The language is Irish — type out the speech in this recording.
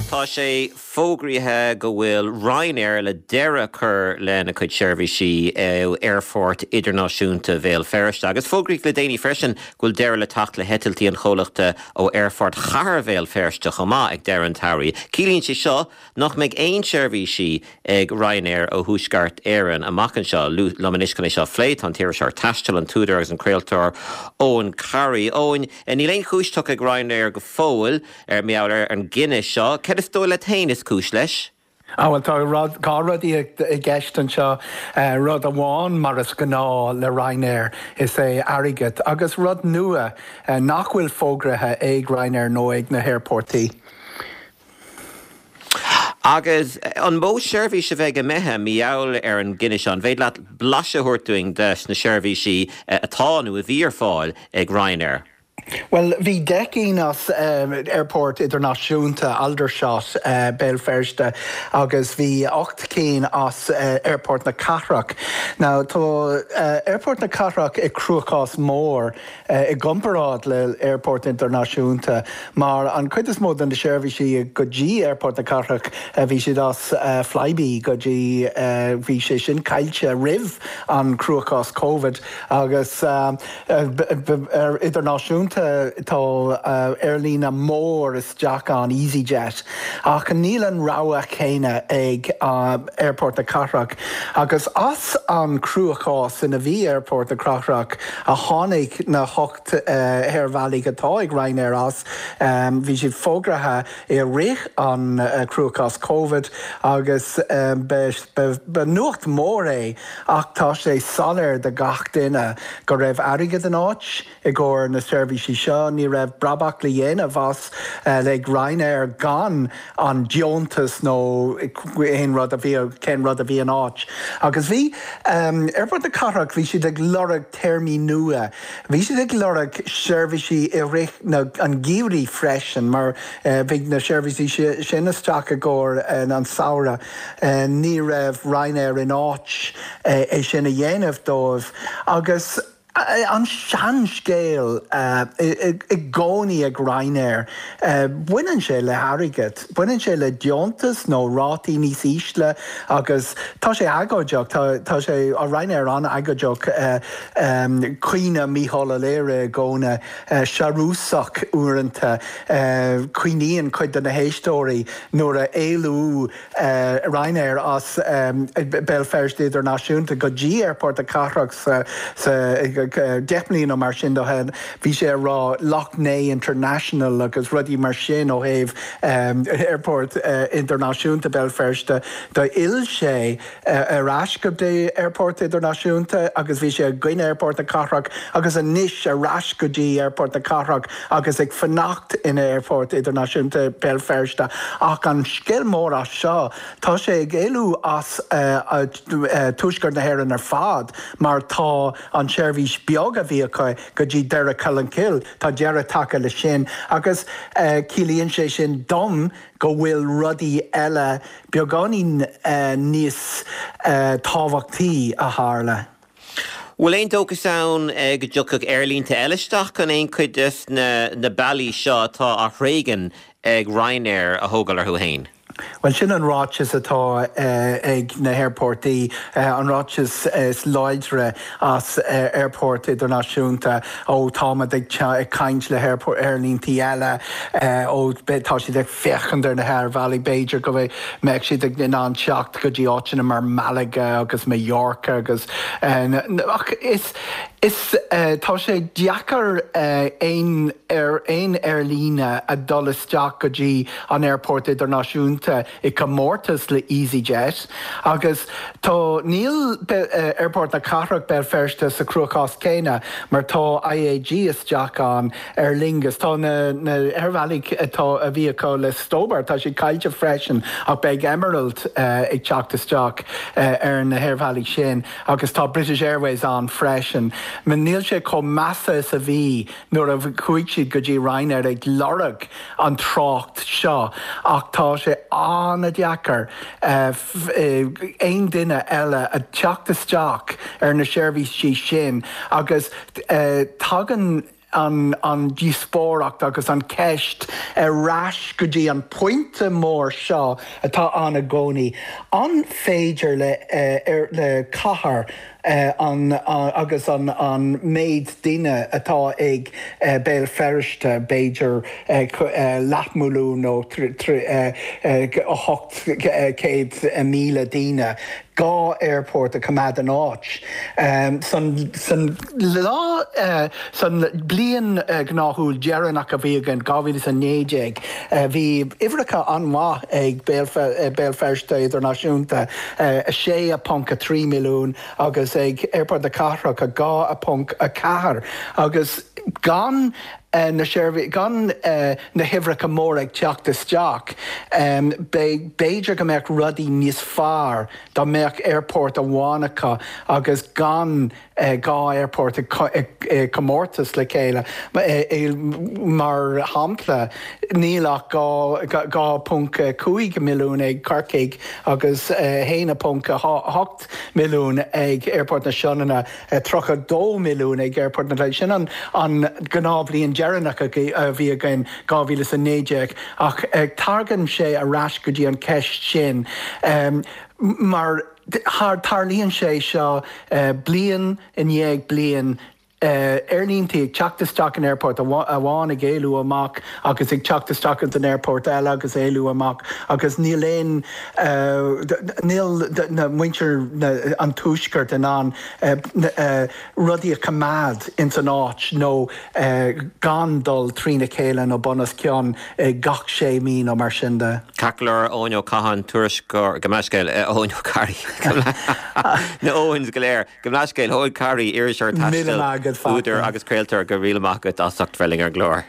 Tá sé fógraithe go bhfuil Ryanair le deireadh a chur lena cuid seirbhísí ó Aerfort Idirnáisiúnta Bhéal Feirste agus fógraíodh le déanaí freisin go bhfuil deireadh le teacht le heitiltí an chomhlachta ó Aerfort Chathair Bhéal Feirste chomh maith ag deireadh an tsamhraidh. Ciallaíonn sé seo nach mbeidh aon seirbhísí ag Ryanair ó Thuaisceart Éireann amach anseo. Liom anois chun é seo a phlé tá an t-iriseoir taistil, an t-údar agus an craoltóir Eoin Carey. Eoin, níl aon chúis tugtha ag Ryanair go fóill mar gheall ar an gcinneadh seo. Céard is dóigh leat féin is cúis leis? Á bhuel, tá rud, dhá rud i gceist anseo. Rud amháin, mar is gnáth le Ryanair, is é airgead, agus rud nua nach bhfuil fógraithe ag Ryanair nó ag na haerportaí. Agus an mó seirbhís a bheidh imithe mar gheall ar an gcinneadh seo? An féidir leat blaiseadh a thabhairt dúinn des na seirbhísí atá nó a bhí ar fáil ag Ryanair? Bhuel, bhí 10 gcinn as Aerfort Idirnáisiúnta Aldershot, Béal Feirste, agus bhí 8 cinn as Aerfort na Cathrach. Now, tá Aerfort na Cathrach i cruachás mór i gcomparáid le Aerfort Idirnáisiúnta mar an chuid is mó de na seirbhísí go dtí Aerfort na Cathrach, bhí siad as Flybe go dtí, bhí sé sin caillte roimh an cruachás Covid agus. Ar idirnáisiúnta tá aerlíne mór isteach ann, easyJet, ach níl an rogha chéanna ag Aerfort na Cathrach. Agus as an cruachás ina bhí Aerfort na Cathrach a tháinig na hocht aerbhealaigh atá ag Ryanair as. Bhí siad fógraithe i rith an cruachás Covid agus ba nuacht mhór é Ach tá sé soiléir do gach duine go raibh airgead in áit i gcomhair na seirbhísí seo. Ní raibh brabach le dhéanamh as ag Ryanair gan an deontas nó aon rud a bhí, cén rud a bhí in áit. Agus bhí Aerfort na Cathrach, bhí siad ag lorg téarmaí nua. Bhí siad ag lorg seirbhísí i rith na, an gheimhridh freisin mar bhí na seirbhísí sin isteach i gcomhair an samhradh. Ní raibh Ryanair in áit é sin a dhéanamh dóibh agus an seanscéal i gcónaí ag Ryanair, baineann sé le hairgead, baineann sé le deontas nó rátaí níos ísle agus tá sé agóideach, tá sé, Ryanair an-agóideach, caoineadh Mícheál Ó Laoire i gcónaí, searúsach uaireanta, cuimhníonn cuid de na héisteoirí nuair a éalú Ryanair as Béal Feirste Idirnáisiúnta go dtí Aerfort na Cathrach sa 10 mbliana nó mar sin ó shin, bhí sé ag rá Lough Neagh International agus rudaí mar sin ó thaobh Aerfort Idirnáisiúnta Béal Feirste. D'fhill sé ar ais go dtí Aerfort Idirnáisiúnta agus bhí sé i gcoinne Aerfort na Cathrach agus anois ar ais go dtí Aerfort na Cathrach agus ag fanacht in Aerfort Idirnáisiúnta Béal Feirste. Ach an scéal mór as seo, tá sé ag éalú as Tuaisceart na hÉireann ar fad mar tá an tseirbhís beag a bhí acu go dtí Doire Colmcille, tá deireadh tagtha leis sin agus ciallaíonn sé sin dom go bhfuil rudaí eile beagáinín níos tábhachtaí a tharla. Bhfuil aon dóchas ann go dtiocfadh aerlínte eile isteach chun aon chuid des na bealaí seo atá á thréigean ag Ryanair a thógáil orthu fhéin? Bhuel, sin an ráiteas atá ag na haerportaí, an ráiteas is láidre as Aerfort Idirnáisiúnta, ó táimid ag caint le haerlíntí eile, ó tá siad ag féachaint ar na haerbhealaí, b'fhéidir go mbeadh siad in ann teacht go dtí áiteanna mar Malaga agus Mallorca agus ach is is tá sé deacair aon ar aon aerlíne a dul isteach go dtí an Aerfort Idirnáisiúnta i gcomórtas le easyJet agus tá níl Aerfort na Cathrach Béal Feirste sa chruachás céanna mar tá IAG isteach ann Aer Lingus. Tá na haerbhealaigh atá, a bhí acu le Stobart, tá siad caillte freisin ach beidh Emerald ag teacht isteach ar na haerbhealaigh sin agus tá British Airways ann freisin. Níl sé chomh measa is a bhí nuair a chuaigh siad go dtí Ryanair ag lorg an trácht seo ach tá sé an-deacair aon duine eile a teacht isteach ar na seirbhísí sin agus tagann. An díospóireacht agus an ceist ar ais go dtí an pointe mór seo atá ann i gcónaí, an féidir le cathair an agus an méid daoine atá ag Béal Feirste, b'fhéidir leathmhilliún nó 800,000 daoine, 2 aerfort a choimeád in áit. San lá, san bliain ghnáthúil dheireanach a bhí againn, 2019, bhí uimhreacha an-mhaith ag Béal Feirste Idirnáisiúnta, 6.3 milliún, agus ag Aerfort na Cathrach, 2.4, agus gan na seirbhísí, gan na huimhreacha móra ag teacht isteach, b'fhéidir go mbeadh rudaí níos fearr dá mbeadh aerfort amháin acu agus gan 2 aerfort i gcomórtas le chéile. Mar shampla, níl ach 2.5 milliún ag Corcaigh agus 1.8 milliún ag Aerfort na Sionainne. 32 milliún ag Aerfort na Cléire. Sin an gnáthbhliain deireanach a bhí againn, 2019, ach tagann sé ar ais go dtí an cheist sin mar tarlaíonn sé seo bliain i ndiaidh bliain, aerlíntí ag teacht isteach in aerfort amháin ag éalú amach agus ag teacht isteach ins an aerfort eile agus éalú amach agus níl aon, níl na muintir an tuaiscirt in ann rudaí a choimeád ins an áit nó gan dul trína chéile nó bun os cionn gach sé mí nó mar sin de. Ceart go leor, Eoin Ó Catháin, tuairisceoir, gabh mo leithscéal, Eoin Ó Carraí, na Eoins go léir, gabh mo leithscéal, Eoin Carey, iriseoir taistil, údar agus craoltóir, go raibh míle maith agat as ucht bheith linn ar an gclár.